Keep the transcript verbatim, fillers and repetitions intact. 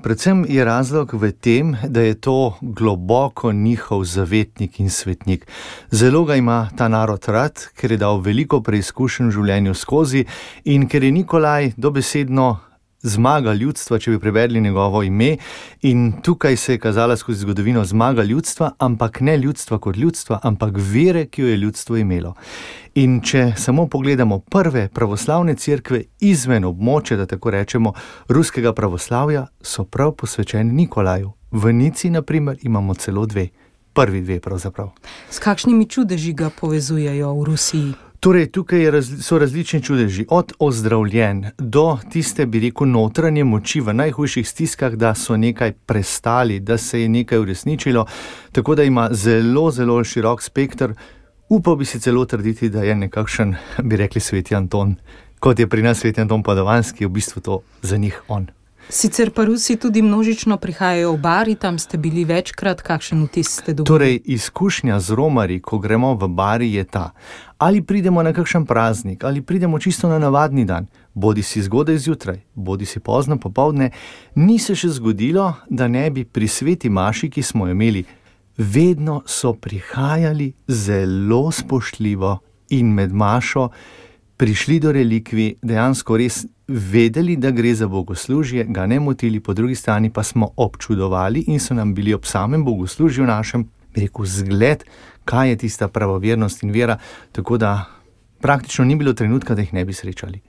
Predvsem je razlog v tem, da je to globoko njihov zavetnik in svetnik. Zelo ga ima ta narod rad, ker je dal veliko preizkušenj v življenju skozi in ker je Nikolaj dobesedno zmaga ljudstva, če bi prevedli njegovo ime, in tukaj se je kazala skozi zgodovino zmaga ljudstva, ampak ne ljudstva kot ljudstva, ampak vere, ki jo je ljudstvo imelo. In če samo pogledamo prve pravoslavne cerkve izven območja, da tako rečemo, ruskega pravoslavja, so prav posvečeni Nikolaju. V Nici, na primer, imamo celo dve. Prvi dve pravzaprav. S kakšnimi čudeži ga povezujejo v Rusiji? Torej, tukaj je raz, so različni čudeži, od ozdravljen do tiste, bi rekel, notranje moči v najhujših stiskah, da so nekaj prestali, da se je nekaj uresničilo, tako da ima zelo, zelo širok spekter. Upal bi si celo trditi, da je nekakšen, bi rekli, sveti Anton, kot je pri nas sveti Anton Padovanski, v bistvu to za njih on. Sicer pa Rusi tudi množično prihajajo v Bari, tam ste bili večkrat, kakšen vtis ste dobili? Torej, izkušnja z Romarji, ko gremo v Bari, je ta. Ali pridemo na kakšen praznik, ali pridemo čisto na navadni dan, bodi si zgodaj zjutraj, bodi si pozno popoldne, ni se še zgodilo, da ne bi pri sveti maši, ki smo jo imeli, vedno so prihajali zelo spoštljivo in med mašo prišli do relikvij, dejansko res vedeli, da gre za bogoslužje, ga ne motili, po drugi strani pa smo občudovali in so nam bili ob samem bogoslužju našem, bi rekel, zgled, kaj je tista pravovernost in vera, tako da praktično ni bilo trenutka, da jih ne bi srečali.